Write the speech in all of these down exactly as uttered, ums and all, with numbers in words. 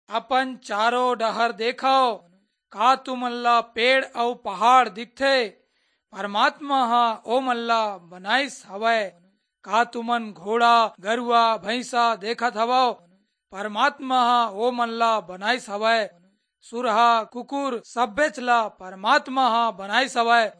अपन चारों डहर देखव, का तुमन ला पेड़ अऊ पहाड़ दिखथे? परमात्मा ह ओमन ला बनाइस हवय। का तुमन घोड़ा, गरुआ, भैंसा देखत हवव? परमात्मा ह ओमन ला बनाइस हवय। सुरहा, कुकुर, सब्बेच ला परमात्मा ह बनाइस हवय।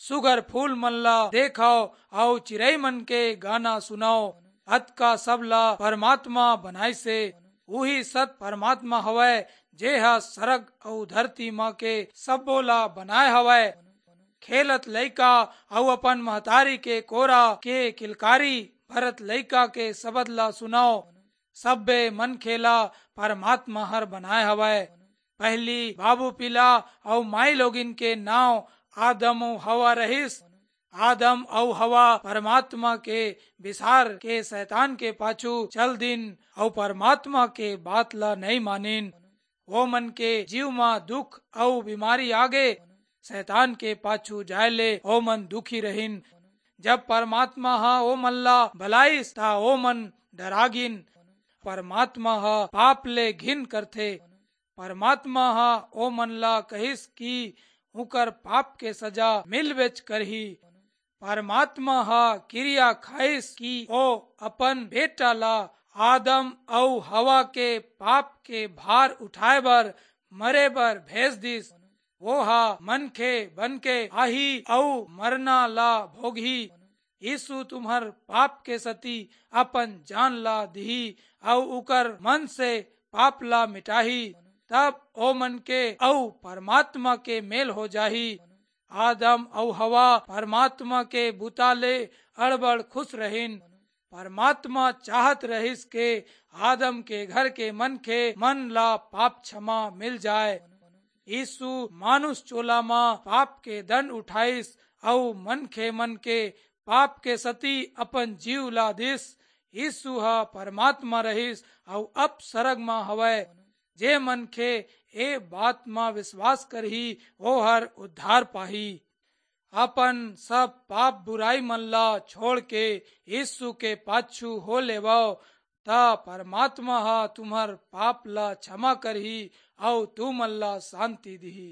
सुघर फूल मन ला देखव अऊ चिरई मन के गाना सुनव। अतका सब ला परमात्मा बनाइसे। उही सत परमात्मा हवय, जे ह सरग अऊ धरती म के सब्बो ला बनाए हवय। खेलत लइका अऊ अपन महतारी के कोरा के किलकारी भरत लइका के सबद ला सुनव। सब्बे मनखे ला परमात्मा हर बनाए हवय। पहिली बाबू पिला अऊ माई लोगिन के नांव आदम अऊ हवा रहिस। आदम अऊ हवा परमात्मा के बिसार के शैतान के पाछू चल दिन अऊ परमात्मा के बात ला नइ मानिन। ओमन के जीव म दुख अऊ बीमारी आगे। शैतान के पाछू जाय ले ओमन दुखी रहिन। जब परमात्मा ह ओमन ला बलाइस, त ओमन डरागिन। परमात्मा ह पाप ले घिन करथे। परमात्मा ह ओमन ला कहिस कि उकर पाप के सजा मिलबेच करही। परमात्मा ह किरिया खाइस कि ओ अपन बेटा ला आदम अऊ हवा के पाप के भार उठाए बर, मरे बर भेज दिस। वो ह मनखे बन के आही अऊ मरना ला भोगही। यीशु तुम्हर पाप के सती अपन जान ला दिही अऊ उकर मन से पाप ला मिटाही। तब ओमन के अऊ परमात्मा के मेल हो जाही। आदम अऊ हवा परमात्मा के बुता ले अड़बड़ खुश रहिन। परमात्मा चाहत रहिस के आदम के घर के मनखे मन ला पाप क्षमा मिल जाए। यीशु मानुष चोला म पाप के दंड उठाइस अऊ मनखे मन के पाप के सती अपन जीव ला दिस। यीशु ह परमात्मा रहिस अऊ अब सरग म हवय। जे मनखे ए बात म विश्वास करही, ओहर उद्धार पाही। अपन सब पाप बुराई मन ला छोड़ के यीशु के पाछू हो लेवव, त परमात्मा ह तुम्हर पाप ला क्षमा करही अऊ तुमन ला शांति दिही।